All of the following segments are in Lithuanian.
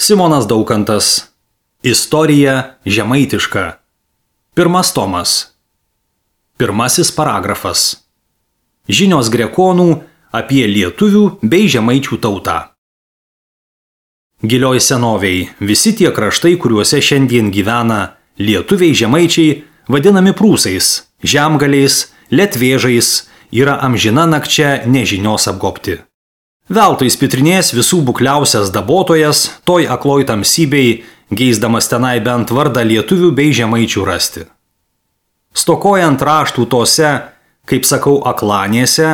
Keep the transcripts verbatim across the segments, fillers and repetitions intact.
Simonas Daukantas. Istorija žemaitiška. Pirmas tomas. Pirmasis paragrafas. Žinios grekonų apie lietuvių bei žemaičių tautą. Gilioj senoviai visi tie kraštai, kuriuose šiandien gyvena lietuviai žemaičiai, vadinami prūsais, žemgaliais, letvėžais, yra amžina nakčia nežinios apgobti. Veltui spitrinės visų bukliausias dabotojas, toj akloj tamsybei, geisdamas tenai bent vardą lietuvių bei žemaičių rasti. Stokojant raštų tose, kaip sakau, aklanėse,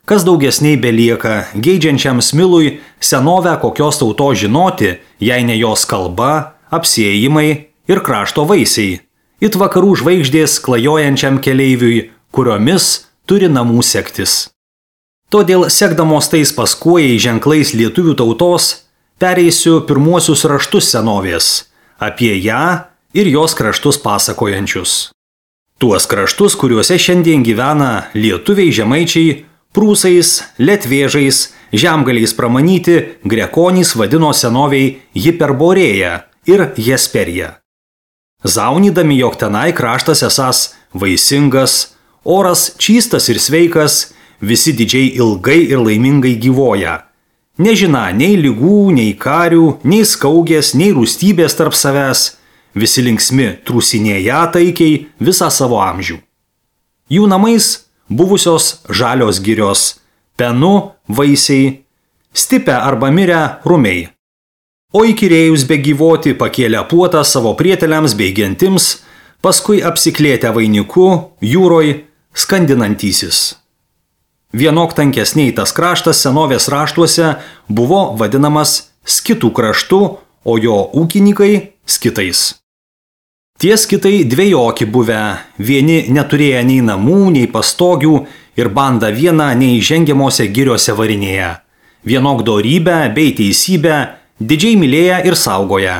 kas daugesniai belieka, geidžiančiam smilui senovę kokios tautos žinoti, jei ne jos kalba, apsiėjimai ir krašto vaisiai, it vakarų žvaigždės klajojančiam keleiviui, kuriomis turi namų sektis. Todėl sekdamos tais paskuojai ženklais lietuvių tautos, pereisiu pirmuosius raštus senovės, apie ją ir jos kraštus pasakojančius. Tuos kraštus, kuriuose šiandien gyvena lietuviai žemaičiai, prūsais, letvėžais, žemgaliais pramanyti, grekonys vadino senoviai Hiperborėja ir Jesperija. Zaunydami, jog tenai kraštas esas vaisingas, oras čystas ir sveikas, visi didžiai ilgai ir laimingai gyvoja. Nežina nei lygų, nei karių, nei skaugės, nei rūstybės tarp savęs, visi linksmi trūsinėja taikiai visą savo amžių. Jų namais buvusios žalios girios, penu vaisiai, stipę arba mirę rumiai. O įkyrėjus be gyvoti pakėlė puotą savo prieteliams bei gentims, paskui apsiklėtę vainiku, jūroj, skandinantysis. Vienok tankesniai tas kraštas senovės raštuose buvo vadinamas skitų kraštu, o jo ūkininkai skitais. Tie skitai dvejoki buvę, vieni neturėję nei namų, nei pastogių ir banda vieną neįžengiamose giriose varinėje. Vienok dorybę bei teisybę didžiai mylėję ir saugoję.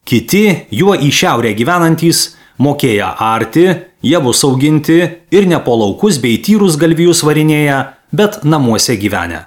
Kiti, juo į šiaurę gyvenantys, mokėję arti, javus auginti ir ne po laukus bei tyrus galvijus varinėję, bet namuose gyvenę.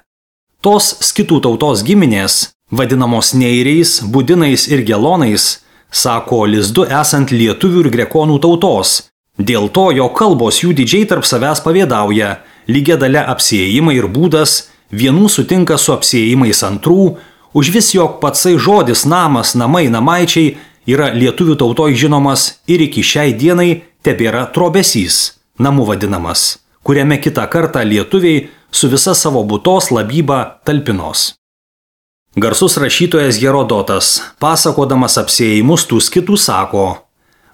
Tos skitų tautos giminės, vadinamos neiriais, budinais ir gelonais, sako lizdu esant lietuvių ir grekonų tautos, dėl to, jo kalbos jų didžiai tarp savęs pavėdauja, lygia dalia apsiėjimai ir būdas, vienų sutinka su apsiėjimais antrų, už vis jog patsai žodis namas, namai, namaičiai yra lietuvių tautoj žinomas ir iki šiai dienai tebėra trobesys, namų vadinamas, kuriame kitą kartą lietuviai su visa savo būtos labyba talpinos. Garsus rašytojas Herodotas, pasakodamas apsiėjimus tų skitų, sako: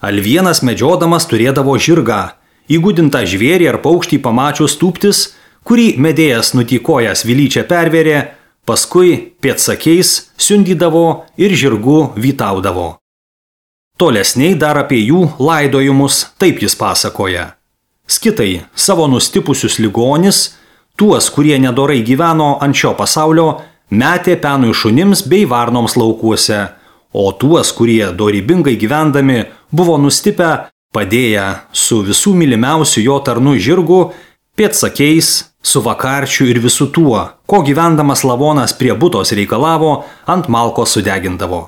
Alvienas medžiodamas turėdavo žirgą, įgudintą žvėrį ar paukštį pamačius tūptis, kurį medėjas nutykojas vilyčia pervėrė, paskui pėdsakiais siundydavo ir žirgu vytaudavo. Tolesniai dar apie jų laidojimus taip jis pasakoja. Skitai savo nustipusius ligonis, tuos, kurie nedorai gyveno ant šio pasaulio, metė penui šunims bei varnoms laukuose, o tuos, kurie dorybingai gyvendami buvo nustipę, padėję su visų mylimiausiu jo tarnu žirgu, pėdsakiais, su vakarčiu ir visu tuo, ko gyvendamas lavonas prie butos reikalavo, ant malkos sudegindavo.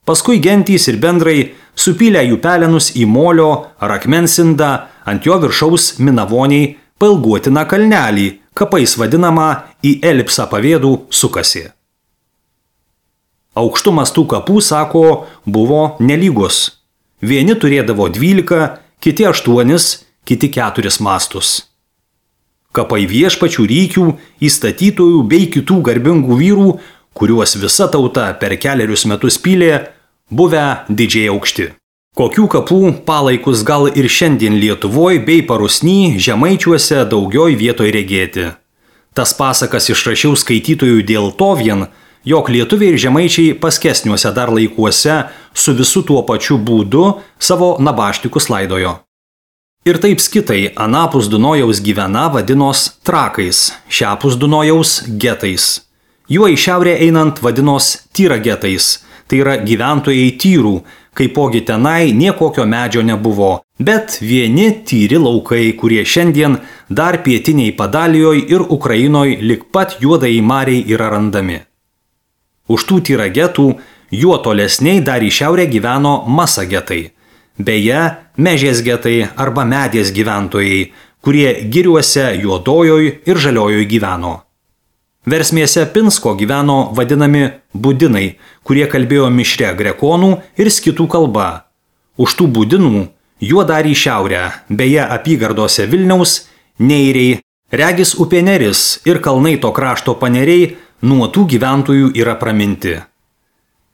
Paskui gentys ir bendrai supylę jų pelenus į molio ar akmensindą, ant jo viršaus minavoniai pailguotiną kalnelį, kapais vadinamą į elipsą pavėdų sukasi. Aukštumas tų kapų, sako, buvo nelygus. Vieni turėdavo dvylika, kiti aštuonis, kiti keturis mastus. Kapai viešpačių rykių, įstatytojų bei kitų garbingų vyrų, kuriuos visa tauta per kelerius metus pylė, buvę didžiai aukšti. Kokių kapų palaikus gal ir šiandien Lietuvoj bei Parusny žemaičiuose daugioj vietoj regėti. Tas pasakas išrašiau skaitytojų dėl to vien, jog lietuviai ir žemaičiai paskesniuose dar laikuose su visu tuo pačiu būdu savo nabaštikus laidojo. Ir taip skitai anapus Dunojaus gyvena vadinos trakais, šiapus Dunojaus getais. Juo į šiaurę einant vadinos tyragetais, tai yra gyventojai tyrų, kaipogi tenai niekokio medžio nebuvo, bet vieni tyri laukai, kurie šiandien dar pietiniai Padalijoj ir Ukrainoj lik pat juodai mariai yra randami. Už tų tyragetų juo tolesniai dar į šiaurę gyveno Masa getai. Beje, Mežės getai arba Medės gyventojai, kurie giriuose Juodojoj ir Žaliojoj gyveno. Versmėse Pinsko gyveno vadinami budinai, kurie kalbėjo mišria grekonų ir skitų kalba. Už tų budinų juo dar į šiaurę, beje apygardose Vilniaus, Neiriai, regis upė Neris ir kalnai to krašto paneriai nuo tų gyventojų yra praminti.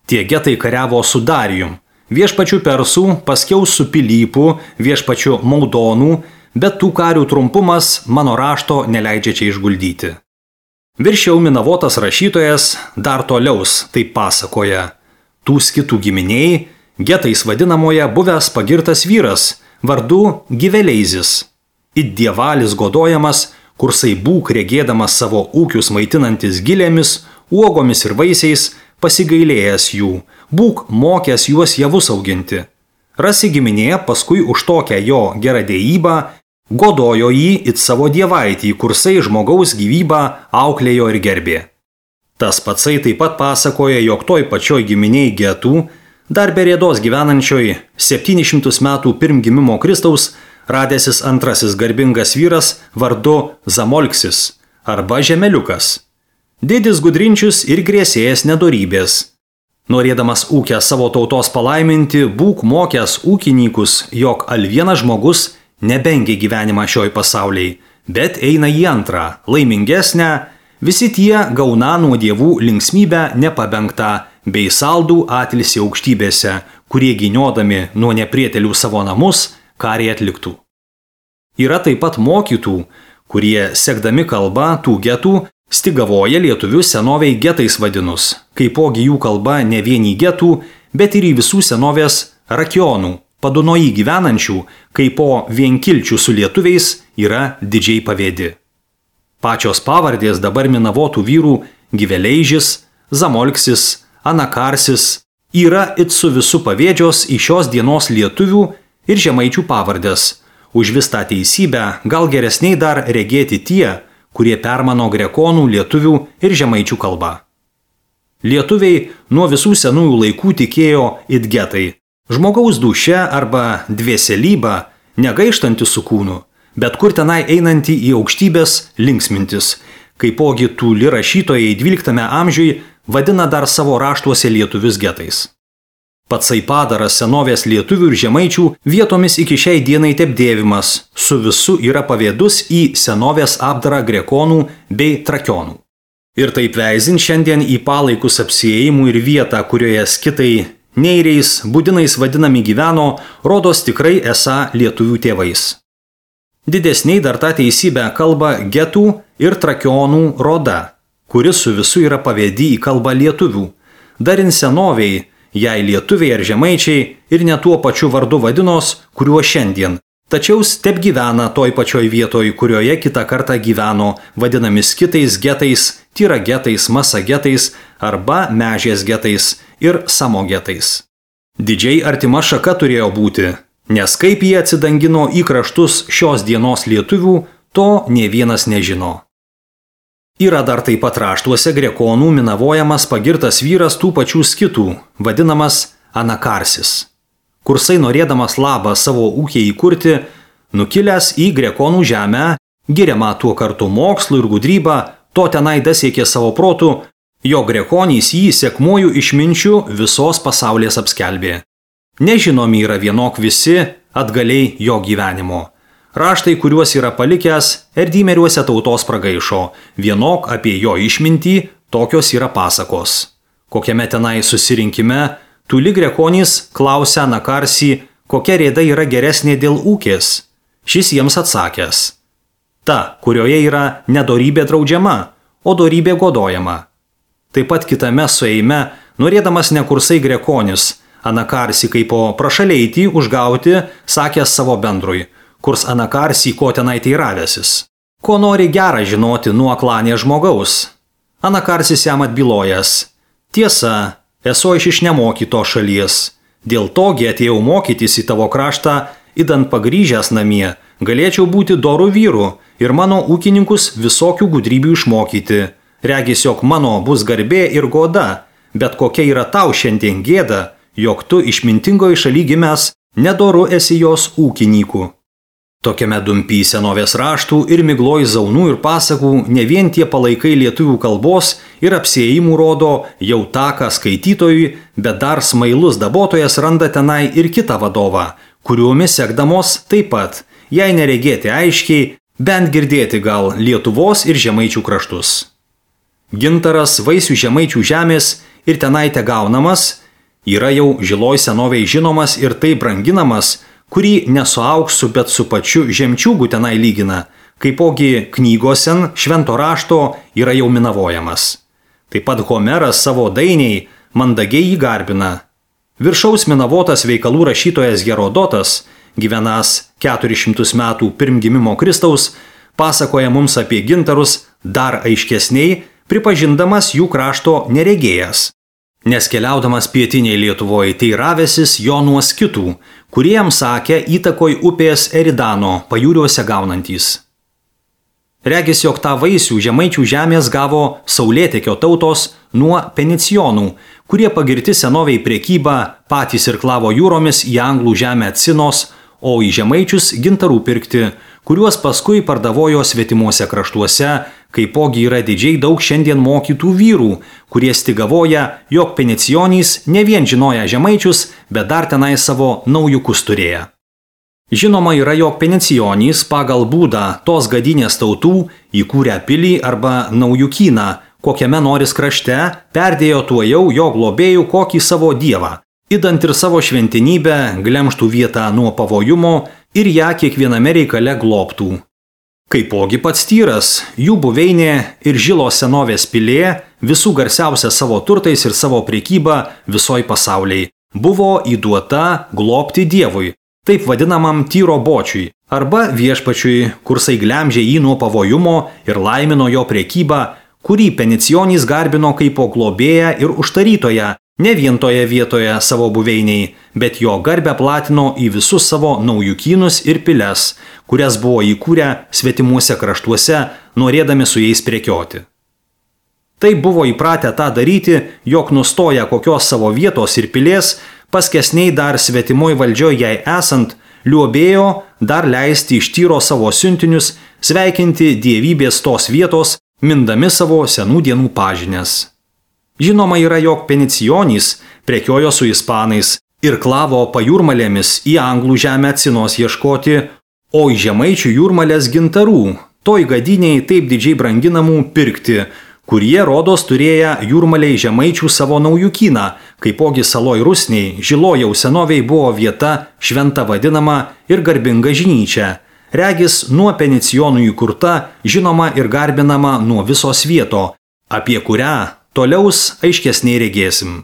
Tie getai kariavo su Darijum, viešpačiu Persų, paskiau su Pilypu, viešpačiu Maudonų, bet tų karių trumpumas mano rašto neleidžia čia išguldyti. Viršiau Minavotas rašytojas dar toliaus taip pasakoja. Tų skitų giminiai, getais vadinamoje buvęs pagirtas vyras, vardu Giveleizis. It dievalis godojamas, kursai būk regėdamas savo ūkius maitinantis gilėmis, uogomis ir vaisiais, pasigailėjęs jų, būk mokęs juos javus auginti. Rasi giminė paskui už tokią jo geradėjybą, godojo jį it savo dievaitį, kursai žmogaus gyvybą auklėjo ir gerbė. Tas patsai taip pat pasakoja, jog toj pačioj giminiai getų, dar be rėdos gyvenančioj septynis šimtus metų pirm gimimo Kristaus, radęsis antrasis garbingas vyras vardu Zamolksis arba Žemeliukas. Didis gudrinčius ir grėsėjas nedorybės. Norėdamas ūkę savo tautos palaiminti, būk mokęs ūkininkus, jog al vienas žmogus nebengia gyvenimą šioj pasauliai, bet eina į antrą, laimingesnę, visi tie gauna nuo dievų linksmybę nepabengtą, bei saldų atilsį aukštybėse, kurie giniodami nuo neprietelių savo namus, karį atliktų. Yra taip pat mokytų, kurie, sekdami kalbą tų getų, stigavoja lietuvius senoviai getais vadinus, kaipogi jų kalba ne vien į getų, bet ir į visų senovės rakionų, Padunoji gyvenančių, kaipo vienkilčių su lietuviais, yra didžiai pavėdi. Pačios pavardės dabar Minavotų vyrų Giveleižis, Zamolksis, Anakarsis yra it su visu pavėdžios į šios dienos lietuvių ir žemaičių pavardės. Už vis tą teisybę gal geresniai dar regėti tie, kurie permano grekonų, lietuvių ir žemaičių kalbą. Lietuviai nuo visų senųjų laikų tikėjo it getai. Žmogaus dūšia arba dvėselyba, negaištanti su kūnu, bet kur tenai einanti į aukštybės linksmintis, kaipogi tūli rašytojai dvyliktame amžiui vadina dar savo raštuose lietuvius getais. Patsai padaras senovės lietuvių ir žemaičių vietomis iki šiai dienai tepdėvimas, su visu yra pavėdus į senovės apdarą grekonų bei trakionų. Ir taip veizint šiandien į palaikus apsiėjimų ir vietą, kurioje skitai neiriais, budinais vadinami gyveno, rodos tikrai esą lietuvių tėvais. Didesniai dar tą teisybę kalba getų ir trakionų roda, kuris su visu yra pavėdi į kalbą lietuvių. Dar in senoviai, jei lietuviai ar žemaičiai ir ne tuo pačiu vardu vadinos, kuriuo šiandien, tačiau step gyvena toj pačioj vietoj, kurioje kitą kartą gyveno, vadinami skitais, getais, tyra getais, masa getais arba mežės getais ir samo getais. Didžiai artima šaka turėjo būti, nes kaip jie atsidangino į kraštus šios dienos lietuvių, to nė vienas nežino. Yra dar taip pat raštuose grekonų minavojamas pagirtas vyras tų pačių skitų, vadinamas Anakarsis. Kursai norėdamas labą savo ūkį įkurti, nukilęs į grekonų žemę, giriamą tuo kartu mokslu ir gudrybą, to tenai dasiekė savo protų, jo grekonys jį sekmuoju išminčių visos pasaulės apskelbė. Nežinomi yra vienok visi atgaliai jo gyvenimo. Raštai, kuriuos yra palikęs, erdymeriuose tautos pragaišo, vienok apie jo išmintį, tokios yra pasakos. Kokiame tenai susirinkime, tūli grekonys klausia Nakarsį, kokia rėda yra geresnė dėl ūkės. Šis jiems atsakęs: ta, kurioje yra nedorybė draudžiama, o dorybė godojama. Taip pat kitame sueime, norėdamas nekursai grekonis, Anakarsi kaipo prašaleitį užgauti, sakęs savo bendrui, kurs Anakarsi ko tenai teiravęsis. Ko nori gerą žinoti nuo klanė žmogaus? Anakarsis jam atbylojęs: tiesa, esu aš iš nemokyto šalies. Dėl togi atėjau mokytis į tavo kraštą, idant pagrįžęs namie, galėčiau būti dorų vyru ir mano ūkininkus visokių gudrybių išmokyti. Regis, jog mano bus garbė ir goda, bet kokia yra tau šiandien gėda, jog tu išmintingoji šaly gimęs, nedoru esi jos ūkinykų. Tokiame dumpy senovės raštų ir migloj zaunų ir pasakų ne vien tie palaikai lietuvių kalbos ir apsiėjimų rodo jau taką skaitytojui, bet dar smailus dabotojas randa tenai ir kitą vadovą, kuriuomis sekdamos taip pat, jei neregėti aiškiai, bent girdėti gal Lietuvos ir Žemaičių kraštus. Gintaras vaisių Žemaičių žemės ir tenai te gaunamas, yra jau žiloj senovėj žinomas ir taip branginamas, kurį ne su auksu, bet su pačiu žemčiūgu tenai lygina, kaipogi knygosen švento rašto yra jau minavojamas. Taip pat Homeras savo dainiai mandagiai jį garbina. Viršaus minavotas veikalų rašytojas Herodotas, gyvenas keturis šimtus metų pirm gimimo Kristaus, pasakoja mums apie gintarus dar aiškesniai, pripažindamas jų krašto neregėjas. Nes keliaudamas pietiniai Lietuvoje teiravęsis jo nuo skitų, kurie jam sakė įtakoj upės Eridano pajūriuose gaunantys. Regis, jog tą vaisių Žemaičių žemės gavo saulėtekio tautos nuo penicijonų, kurie pagirti senoviai prekybą patys irklavo jūromis į anglų žemę Cinos, o į Žemaičius gintarų pirkti, kuriuos paskui pardavojo svetimuose kraštuose, kaipogi yra didžiai daug šiandien mokytų vyrų, kurie stigavoja, jog penicijonys ne vien žinoja Žemaičius, bet dar tenai savo naujukus turėję. Žinoma yra, jog penicijonys pagal būdą tos gadinės tautų įkūrę pilį arba naujukyną, kokiame noris krašte, perdėjo tuojau jo globėjų kokį savo dievą, idant ir savo šventinybę glemštų vietą nuo pavojumo ir ją kiekviename reikale globtų. Kaipogi pats Tyras, jų buveinė ir žilo senovės pilė, visų garsiausia savo turtais ir savo prekyba visoj pasauliai, buvo įduota globti Dievui, taip vadinamam Tyro bočiui, arba viešpačiui, kursai glemžė jį nuo pavojumo ir laimino jo prekybą, kurį penicijonys garbino kaipo globėją ir užtarytoją, ne vien toje vietoje savo buveiniai, bet jo garbę platino į visus savo naujukynus ir piles, kurias buvo įkūrę svetimuose kraštuose, norėdami su jais prekioti. Taip buvo įpratę tą daryti, jog nustoja kokios savo vietos ir pilės, paskesniai dar svetimoj valdžioj jai esant, liuobėjo dar leisti iš Tyro savo siuntinius, sveikinti dievybės tos vietos, mindami savo senų dienų pažinės. Žinoma yra, jog penicijonys prekiojo su ispanais ir klavo pajūrmalėmis į anglų žemę Cinos ieškoti, o į Žemaičių jūrmalės gintarų, toj gadiniai taip didžiai branginamų pirkti, kurie rodos turėję jūrmaliai Žemaičių savo naujukyną, kaipogi saloj Rusniai, žilojau senoviai buvo vieta šventa vadinama ir garbinga žinyčia, regis nuo penicijonų įkurta, žinoma ir garbinama nuo visos vieto, apie kurią toliaus aiškesniai regėsim.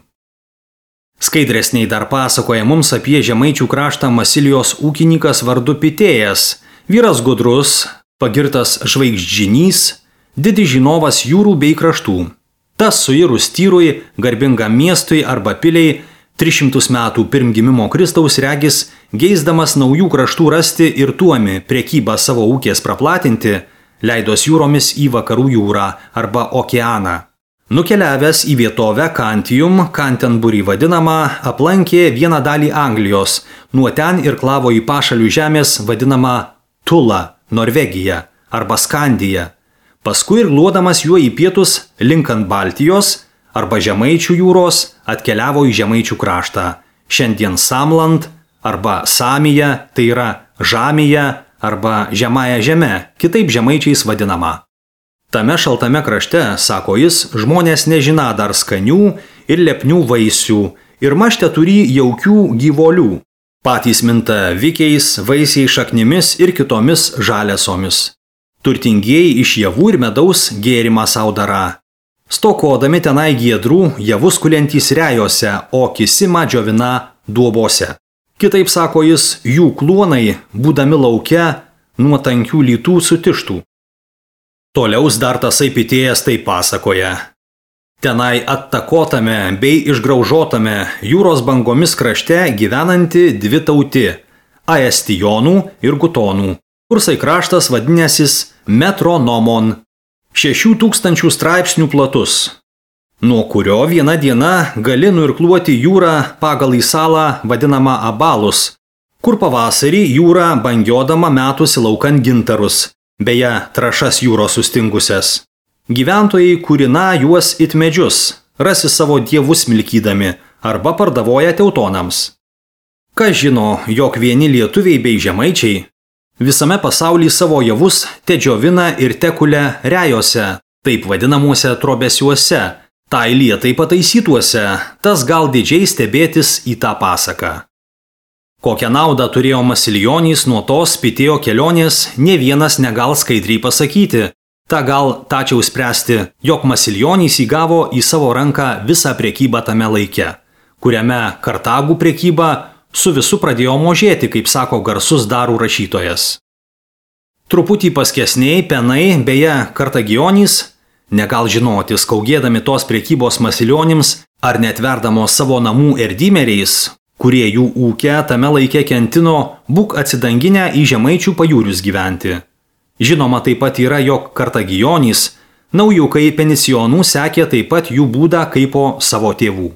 Skaidresniai dar pasakoja mums apie Žemaičių kraštą Masilijos ūkininkas vardu Pitėjas, vyras gudrus, pagirtas žvaigždžinys, didis žinovas jūrų bei kraštų. Tas suirus Tyrui, garbingam miestui arba piliai, tris šimtus metų pirm gimimo Kristaus regis, geisdamas naujų kraštų rasti ir tuomi prekybą savo ūkės praplatinti, leidos jūromis į vakarų jūrą arba okeaną. Nukeliavęs į vietovę Kantijum, Canterbury vadinamą, aplankė vieną dalį Anglijos, nuo ten ir klavo į pašalių žemės vadinamą Tula, Norvegija arba Skandija. Paskui ir gluodamas juo į pietus linkant Baltijos arba Žemaičių jūros atkeliavo į Žemaičių kraštą, šiandien Samland arba Samija, tai yra Žamija arba Žemąja žeme, kitaip žemaičiais vadinama. Tame šaltame krašte, sako jis, žmonės nežina dar skanių ir lepnių vaisių ir mašte turi jaukių gyvolių. Patys minta vikiais, vaisiai šaknimis ir kitomis žalesomis. Turtingieji iš javų ir medaus gėrimą sau dara. Stokodami tenai giedrų, javus kuliantys rejose, o kisimą džiovina duobose. Kitaip, sako jis, jų kluonai, būdami lauke, nuo tankių lytų sutištų. Toliaus dar tasai Pitėjas taip pasakoja. Tenai attakotame bei išgraužotame jūros bangomis krašte gyvenanti dvi tauti – Aestijonų ir Gutonų. Kursai kraštas vadinęsis Metronomon, šešių tūkstančių straipsnių platus. nuo kurio vieną dieną gali nuirkluoti jūrą pagal į salą vadinamą Abalus, kur pavasarį jūra bangiodama metusi laukan gintarus, beje, trašas jūros sustingusias. Gyventojai kūrina juos it medžius, rasi savo dievus milkydami arba pardavoja teutonams. Kas žino, jog vieni lietuviai bei žemaičiai visame pasaulyje savo javus te džiovina ir tekulia rejose, taip vadinamuose trobesiuose, tai lietai pataisytuose, tas gal didžiai stebėtis į tą pasaką. Kokią naudą turėjo Masilionys nuo tos Pitėjo kelionės, ne vienas negal skaidriai pasakyti. Ta gal tačiau spręsti, jog Masilionys įgavo į savo ranką visą prekybą tame laike, kuriame Kartagų prekyba su visu pradėjo mažėti, kaip sako garsus darų rašytojas. Truputį paskesniai penai, beje, Kartagionys, negal žinoti, skaugėdami tos prekybos Masilionims ar netverdamos savo namų erdymeriais, kurie jų ūkę tame laike kentino, būk atsidanginę į žemaičių pajūrius gyventi. Žinoma taip pat yra, jog Kartagionys, naujukai penisijonų sekė taip pat jų būdą kaip po savo tėvų.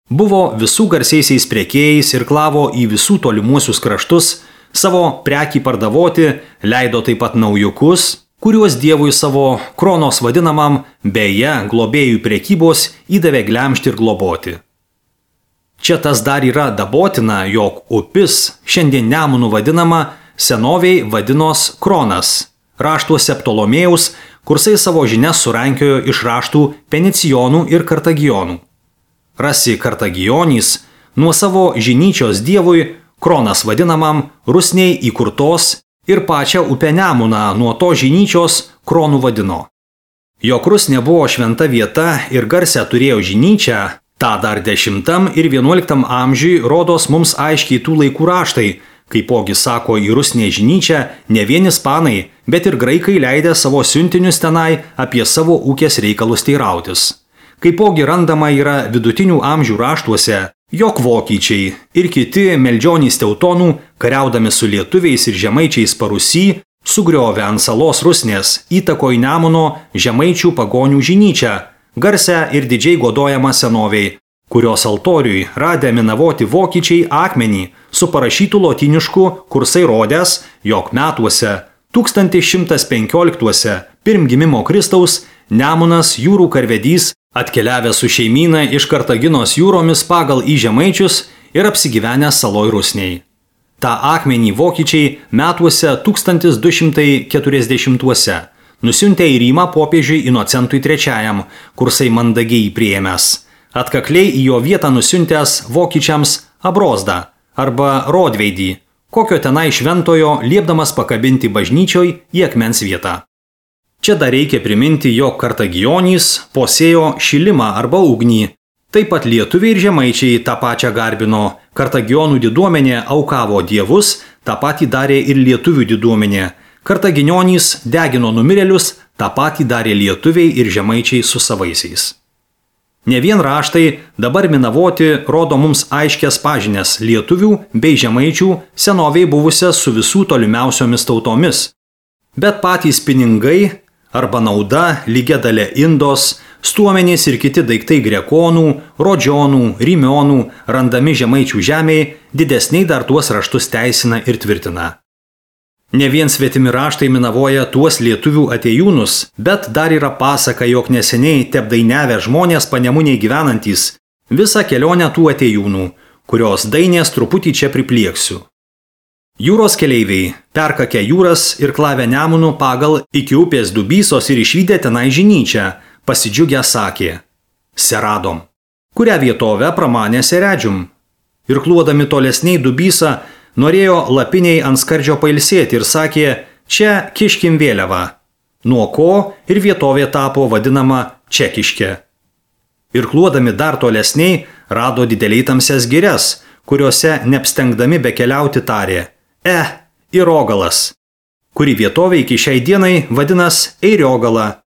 Buvo visų garsiaisiais prekėjais ir klavo į visų tolimuosius kraštus, savo prekį pardavoti, leido taip pat naujukus, kuriuos dievui savo kronos vadinamam, beje, globėjų prekybos įdavė glemšti ir globoti. Čia tas dar yra dabotina, jog upis, šiandien Nemunu vadinama, senoviai vadinos Kronas, raštuose Ptolomėjaus, kursai savo žinias surankiojo iš raštų Penicijonų ir Kartagionų. Rasi Kartagionys nuo savo žinyčios dievui, Kronas vadinamam, rusniai įkurtos ir pačią upę Nemuną nuo to žinyčios Kronų vadino. Jog rusnė buvo šventa vieta ir garsę turėjo žinyčią, tą dar dešimtam ir vienuoliktam amžiui rodos mums aiškiai tų laikų raštai, kaipogi sako į rusnę žinyčią ne vien ispanai, bet ir graikai leidę savo siuntinius tenai apie savo ūkės reikalus teirautis. Kaipogi randama yra vidutinių amžių raštuose, jog vokiečiai ir kiti meldžionys teutonų, kariaudami su lietuviais ir žemaičiais Parusy, sugriovė ant salos rusnės įtakoj Nemuno žemaičių pagonių žinyčią, garsę ir didžiai godojamą senoviai, kurios altoriui radę minavoti vokiečiai akmenį su parašytų lotynišku kursai rodęs, jog metuose tūkstantis šimtas penkioliktuose pirm gimimo Kristaus Nemunas jūrų karvedys atkeliavęs su šeimyna iš Kartaginos jūromis pagal į žemaičius ir apsigyvenęs saloj rusniai. Ta akmenį vokiečiai metuose tūkstantis du šimtai keturiasdešimtuose nusiuntė į Rymą popiežiui Inocentui trečiajam, kursai mandagiai priėmęs. Atkakliai į jo vietą nusiuntęs vokiečiams Abrozdą arba Rodveidį, kokio tenai šventojo liepdamas pakabinti bažnyčioj į akmens vietą. Čia dar reikia priminti, jog Kartagionys posėjo šilimą arba ugnį. Taip pat lietuviai ir žemaičiai tą pačią garbino, Kartagionų diduomenė aukavo dievus, tą patį darė ir lietuvių diduomenė. Kartagionys degino numirėlius, tą patį darė lietuviai ir žemaičiai su savaisiais. Ne vien raštai dabar minavoti rodo mums aiškias pažinės lietuvių bei žemaičių senoviai buvusias su visų tolimiausiomis tautomis. Bet patys pinigai arba nauda, lygia dalė indos, stuomenys ir kiti daiktai grekonų, rodžionų, rymionų, randami žemaičių žemėje, didesniai dar tuos raštus teisina ir tvirtina. Ne vien svetimi raštai minavoja tuos lietuvių atėjūnus, bet dar yra pasaka, jog neseniai tepdainiavę žmonės Panemunėje gyvenantys visą kelionę tų atėjūnų, kurios dainės truputį čia priplieksiu. Jūros keleiviai perkakę jūras ir klavę Nemunu pagal iki upės Dubysos ir išvydę tenai žinyčią, pasidžiugę sakė: Seradom, kurią vietovę pramanė Seredžium. Ir kluodami tolesniai Dubysą, norėjo lapiniai ant skardžio pailsėti ir sakė: čia kiškim vėliavą, nuo ko ir vietovė tapo vadinama Čekiškė. Ir kluodami dar tolesniai rado dideliai tamsias girias, kuriuose neapstengdami bekeliauti tarė: E, Irogalas, kuri vietovė iki šiai dienai vadinas Eiriogala.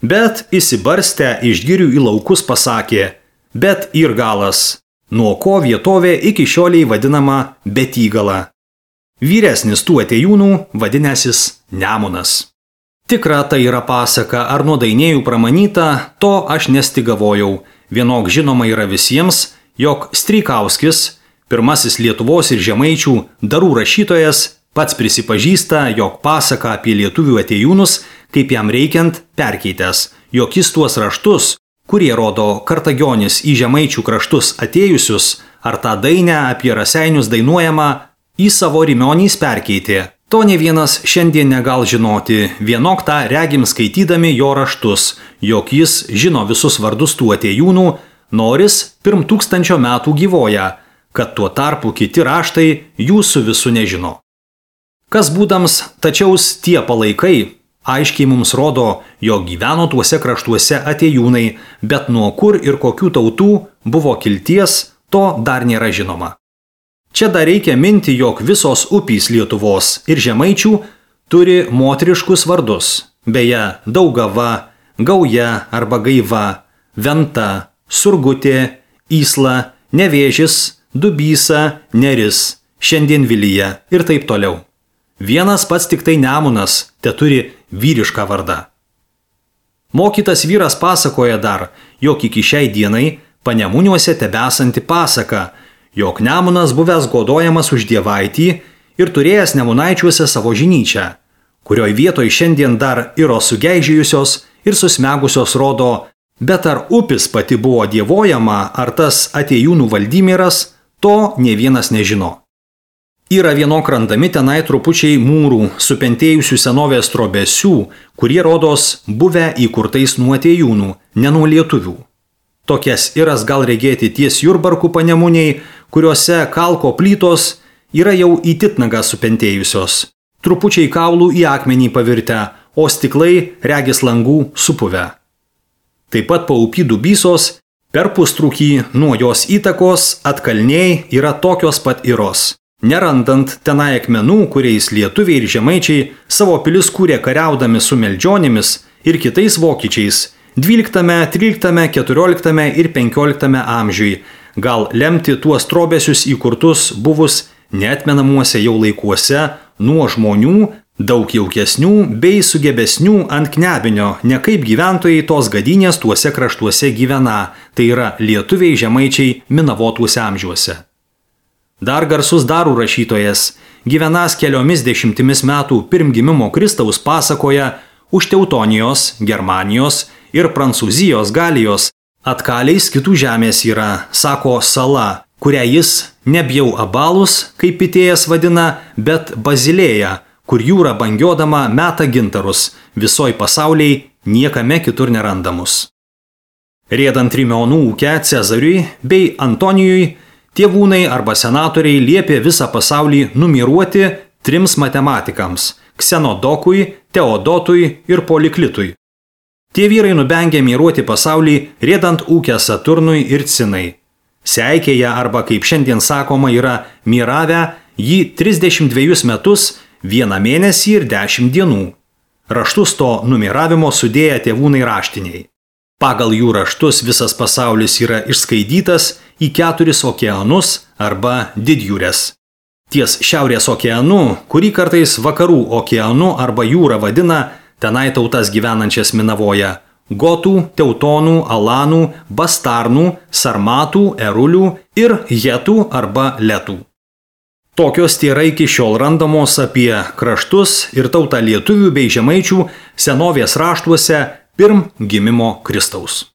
Bet įsibarstę iš girių į laukus pasakė: Bet Irgalas, nuo ko vietovė iki šioliai vadinama Betygala. Vyresnis tų atėjūnų vadinęsis Nemunas. Tikra tai yra pasaka ar nuo dainėjų pramanyta, to aš nestigavojau. Vienok žinoma yra visiems, jog Streikauskis, pirmasis Lietuvos ir žemaičių darų rašytojas, pats prisipažįsta, jog pasaka apie lietuvių atėjūnus, kaip jam reikiant, perkeitęs, jog jis tuos raštus, kurie rodo Kartagionis į žemaičių kraštus atėjusius, ar tą dainę apie raseinius dainuojamą, į savo rimionys perkeitė. To ne vienas šiandien negal žinoti, vienok tą regim skaitydami jo raštus, jog jis žino visus vardus tų atėjūnų, noris pirm tūkstančio metų gyvoja, kad tuo tarpu kiti raštai jų su visu nežino. Kas būdams tačiaus tie palaikai, aiškiai mums rodo, jog gyveno tuose kraštuose atėjūnai, bet nuo kur ir kokių tautų buvo kilties, to dar nėra žinoma. Čia dar reikia minti, jog visos upys Lietuvos ir žemaičių turi moteriškus vardus, beje, Daugava, Gauja arba Gaiva, Venta, Surgutė, Ysla, Nevėžis, Dubysa, Neris, šiandien Vilija ir taip toliau. Vienas pats tik tai Nemunas te turi vyrišką vardą. Mokytas vyras pasakoja dar, jog iki šiai dienai Panemuniuose tebesanti pasaka, jog Nemunas buvęs godojamas už dievaitį ir turėjęs Nemunaičiuose savo žinyčią, kurioj vietoj šiandien dar yra sugeižėjusios ir susmegusios rodo, bet ar upis pati buvo dievojama, ar tas atėjūnų Valdimiras, to ne vienas nežino. Yra vienok randami tenai trupučiai mūrų, supentėjusių senovės trobesių, kurie rodos buvę įkurtais nuo atėjūnų, ne nuo lietuvių. Tokias iras gal regėti ties Jurbarkų Panemuniai, kuriuose kalko plytos yra jau į titnagą supentėjusios. Trupučiai kaulų į akmenį pavirtę, o stiklai regis langų supuvę. Taip pat paupy Dubysos, per pustrūkį nuo jos įtakos atkalniai yra tokios pat iros. Nerandant tenai akmenų, kuriais lietuviai ir žemaičiai savo pilis kūrė kariaudami su meldžionimis ir kitais vokiečiais, dvyliktame, tryliktame, keturioliktame ir penkioliktame amžiui, gal lemti tuos trobesius įkurtus buvus neatmenamuose jau laikuose nuo žmonių, daug jaukesnių bei sugebesnių ant knebinio, ne kaip gyventojai tos gadynės tuose kraštuose gyvena, tai yra lietuviai žemaičiai minavotuose amžiuose. Dar garsus darų rašytojas, gyvenas keliomis dešimtimis metų pirm gimimo Kristaus pasakoja, už Teutonijos, Germanijos ir Prancūzijos Galijos atkaliais kitų žemės yra, sako, sala, kurią jis nebjau Abalus, kaip Pitėjas vadina, bet Bazilėja, kur jūra bangiodama meta gintarus, visoj pasauliai niekame kitur nerandamus. Riedant Rimionų ūkę Cezariui bei Antonijui, tėvūnai arba senatoriai liepė visą pasaulį numiruoti trims matematikams – Ksenodokui, Teodotui ir Poliklitui. Tie vyrai nubengė miruoti pasaulį, riedant ūkę Saturnui ir Cinai. Seikėje arba, kaip šiandien sakoma, yra miravę jį trisdešimt dvejus metus, vieną mėnesį ir dešimt dienų. Raštus to numiravimo sudėję tėvūnai raštiniai. Pagal jų raštus visas pasaulis yra išskaidytas į keturis okeanus arba didjūres. Ties Šiaurės okeanu, kurį kartais Vakarų okeanu arba jūra vadina, tenai tautas gyvenančias minavoja – gotų, teutonų, alanų, bastarnų, sarmatų, erulių ir hetų arba letų. Tokios tėra iki šiol randamos apie kraštus ir tautą lietuvių bei žemaičių senovės raštuose pirm gimimo Kristaus.